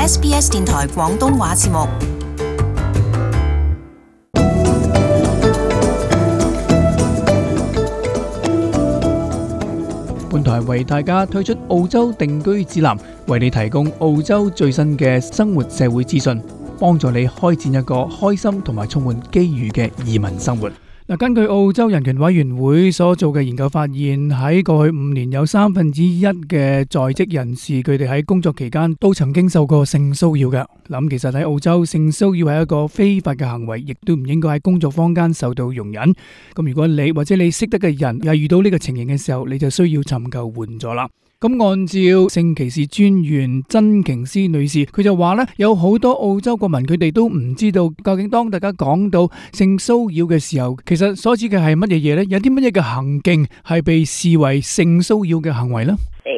SBS 電台廣東話節目。本台為大家推出澳洲定居指南，為你提供澳洲最新嘅生活社會資訊，幫助你開展一個開心同埋充滿機遇嘅移民生活。根據澳洲人權委員會所做嘅研究發現，喺過去5年有1/3嘅在職人士，佢哋喺工作期間都曾經受過性騷擾嘅。其實喺澳洲，性騷擾係一個非法嘅行為，亦都唔應該喺工作坊間受到容忍。咁如果你或者你識得嘅人又係遇到呢個情形嘅時候，你就需要尋求援助啦。咁按照性歧視專員真瓊斯女士，佢就話呢，有好多澳洲國民佢哋都唔知道究竟當大家講到性騷擾嘅時候，其實所指嘅係乜嘢嘢呢？有啲乜嘢嘅行徑係被視為性騷擾嘅行為呢？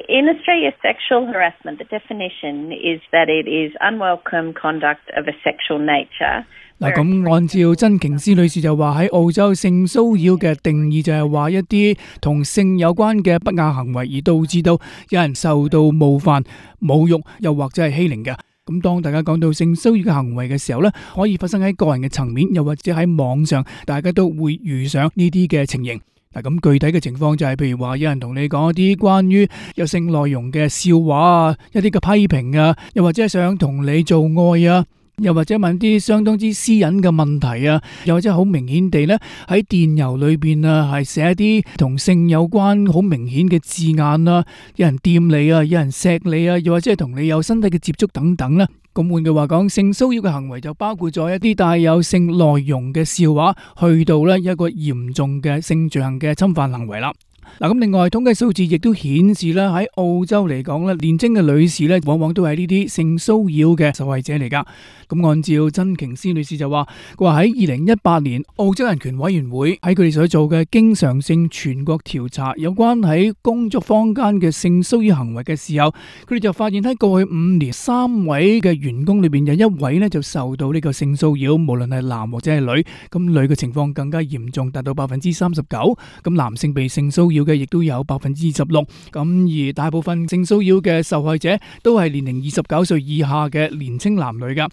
In Australia, sexual harassment, the definition is that it is unwelcome conduct of a sexual nature. 咁按照真瓊斯女士就話，喺澳洲性騷擾嘅定義就係話一啲同性有關嘅不雅行為，而導致到有人受到冒犯、侮辱，又或者係欺凌嘅。咁當大家講到性騷擾嘅行為嘅時候呢，可以發生喺個人嘅層面，又或者喺網上，大家都會遇上呢啲嘅情形。咁具體嘅情況就係，譬如話有人同你講一啲關於有性內容嘅笑話啊，一啲嘅批評啊，又或者係想同你做愛啊，又或者問啲相當之私隱嘅問題啊，又或者好明顯地呢，喺電郵裏邊啊係寫一啲同性有關好明顯嘅字眼啊，有人掂你啊，有人錫你啊，又或者係同你有身體嘅接觸等等啦。咁換句話講，性騷擾嘅行為就包括咗一啲帶有性內容嘅笑話，去到呢一個嚴重嘅性罪行嘅侵犯行為啦。咁另外統計數字亦都顯示啦，喺澳洲嚟講咧，年輕嘅女士咧，往往都係呢啲性騷擾嘅受害者嚟噶。咁按照真瓊斯女士就話，佢話喺2018年澳洲人權委員會喺佢哋所做嘅經常性全國調查，有關喺工作坊間嘅性騷擾行為嘅時候，佢哋就發現喺過去5年3位嘅員工裏邊有1位咧就受到呢個性騷擾，無論係男或者係女。咁女嘅情況更加嚴重，達到39%。咁男性被性騷擾嘅亦都有16%。咁而大部分性騷擾嘅受害者都係年齡29歲以下嘅年輕男女噶。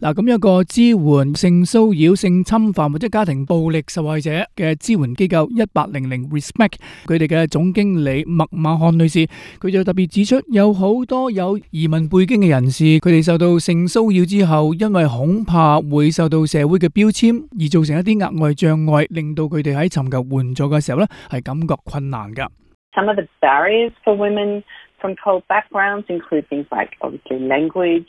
咁一個支援性騷擾、性侵犯或者家庭暴力受害者嘅支援機構1800 Respect， 佢哋嘅總經理麥馬漢女士，佢就特別指出，有好多有移民背景嘅人士，佢哋受到性騷擾之後，因為恐怕會受到社會嘅標籤，而造成一啲額外障礙，令到佢哋喺尋求援助嘅時候呢，係感覺困難噶。Some of the barriers for women from cold backgrounds include things like obviously language,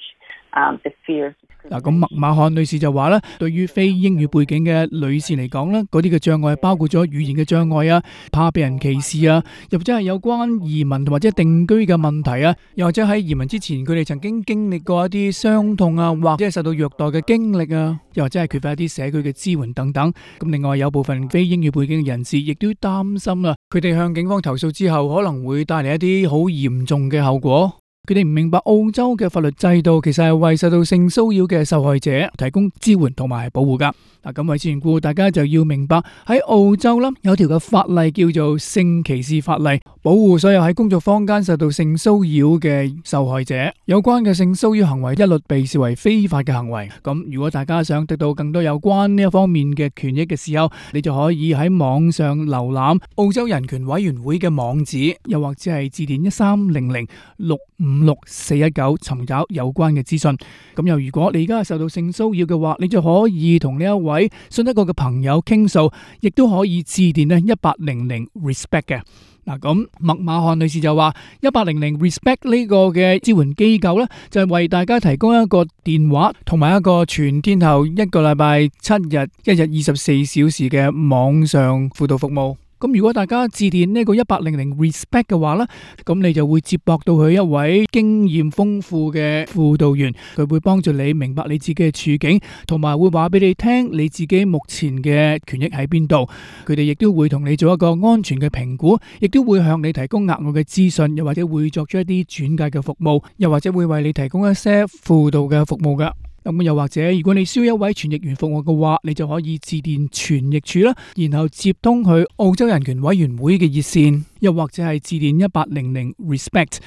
the fear of咁麥馬漢女士就話咧，對於非英語背景嘅女士嚟講咧，嗰啲嘅障礙包括咗語言嘅障礙啊，怕被人歧視啊，又或者係有關移民或者定居嘅問題啊，又或者喺移民之前佢哋曾經經歷過一啲傷痛啊，或者係受到虐待嘅經歷啊，又或者係缺乏一啲社區嘅支援等等。咁另外有部分非英語背景嘅人士亦都擔心啦，佢哋向警方投訴之後可能會帶嚟一啲好嚴重嘅後果。佢哋唔明白澳洲嘅法律制度其實係為受到性騷擾嘅受害者提供支援同埋保護噶。咁為此緣故，大家就要明白喺澳洲啦，有條嘅法例叫做性歧視法例，保護所有喺工作坊間受到性騷擾嘅受害者。有關嘅性騷擾行為一律被視為非法嘅行為。咁如果大家想得到更多有關呢一方面嘅權益嘅時候，你就可以喺網上瀏覽澳洲人權委員會嘅網址，又或者係致電1300656419尋找有關嘅資訊。咁又如果你而家受到性騷擾嘅話，你就可以同呢一位信得過嘅朋友傾訴，亦都可以致電1800 Respect 嘅。咁麥馬漢女士就話1800 Respect 呢個嘅支援機構呢，就係為大家提供一個電話同埋一個全天候1個禮拜7日1日24小時嘅網上輔導服務。咁如果大家致電呢個1800 Respect 嘅話呢，咁你就會接駁到佢一位經驗豐富嘅輔導員，佢會幫助你明白你自己嘅處境，同埋會話俾你聽你自己目前嘅權益喺邊度。佢哋亦都會同你做一個安全嘅評估，亦都會向你提供額外嘅資訊，又或者會作出一啲轉介嘅服務，又或者會為你提供一些輔導嘅服務噶。咁又或者如果你需要一位傳譯員服務嘅話，你就可以致電傳譯處啦，然後接通去澳洲人權委員會嘅熱線又或者係致電1800 RESPECT。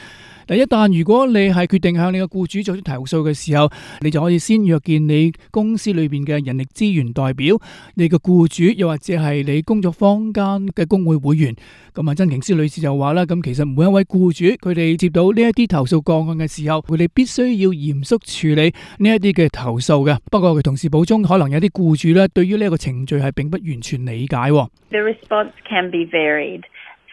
一旦如果你係決定向你嘅僱主作出投訴嘅時候，你就可以先約見你公司裏邊嘅人力資源代表、你嘅僱主，又或者係你工作坊間嘅工會會員。咁真瓊斯女士就話啦，咁其實每一位僱主佢哋接到呢一啲投訴個案嘅時候，佢哋必須要嚴肅處理呢一啲嘅投訴嘅。不過佢同時補充，可能有啲僱主咧對於呢一個程序係並不完全理解。The response can be varied.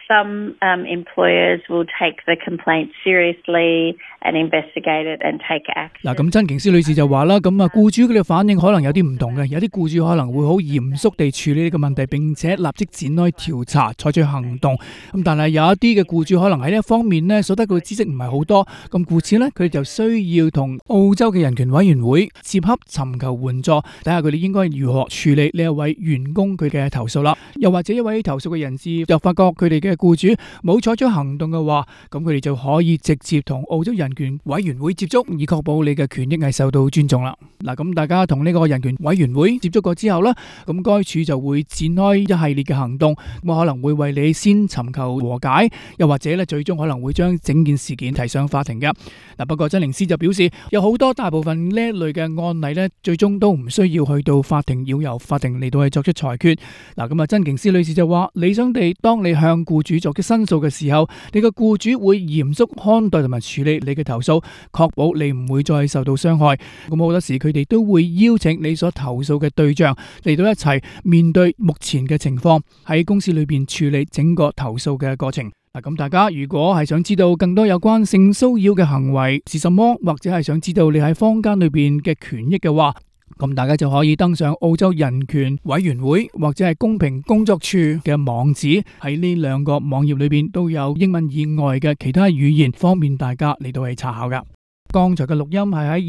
Some employers will take the complaint seriously and investigate it and take action. 嗱，咁真瓊斯女士就話啦，咁僱主佢哋反應可能有啲唔同嘅，有啲僱主可能會好嚴肅地處理呢個問題，並且立即展開調查，採取行動。咁但係有一啲嘅僱主可能喺呢一方面呢所得嘅知識唔係好多，咁故此呢，佢哋就需要同澳洲嘅人權委員會接洽，尋求援助，睇下佢哋應該如何處理呢一位員工佢嘅投訴啦。又或者一位投訴嘅人士又發覺佢哋嘅僱主冇採取行動嘅話，咁佢哋就可以直接同澳洲人權委員會接觸，以確保你嘅權益係受到尊重啦。嗱，咁大家同呢個人權委員會接觸過之後呢，咁該處就會展開一系列嘅行動，咁可能會為你先尋求和解，又或者咧最終可能會將整件事件提上法庭嘅。嗱，不過真寧斯就表示，有好多大部分呢一類嘅案例呢，最終都唔需要去到法庭，要由法庭嚟到去作出裁決。嗱，咁真瓊斯女士就話，理想地，當你向僱主作出申訴嘅時候，你嘅僱主會嚴肅看待同埋處理你嘅投訴，確保你唔會再受到傷害。咁好多時佢哋都會邀請你所投訴嘅對象嚟到一齊面對目前嘅情況，喺公司裏邊處理整個投訴嘅過程。咁大家如果係想知道更多有關性騷擾嘅行為是什麼，或者係想知道你喺坊間裏邊嘅權益嘅話，咁大家就可以登上澳洲人權委員會或者係公平工作處嘅網址，喺呢兩個網頁裏邊都有英文以外嘅其他語言，方便大家嚟到去查考噶。剛才嘅錄音係喺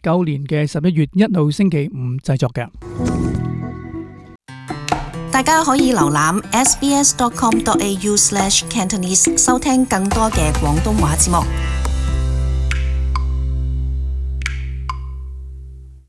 2019年嘅11月1號星期五製作嘅。大家可以瀏覽 sbs.com.au/Cantonese 收聽更多嘅廣東話節目。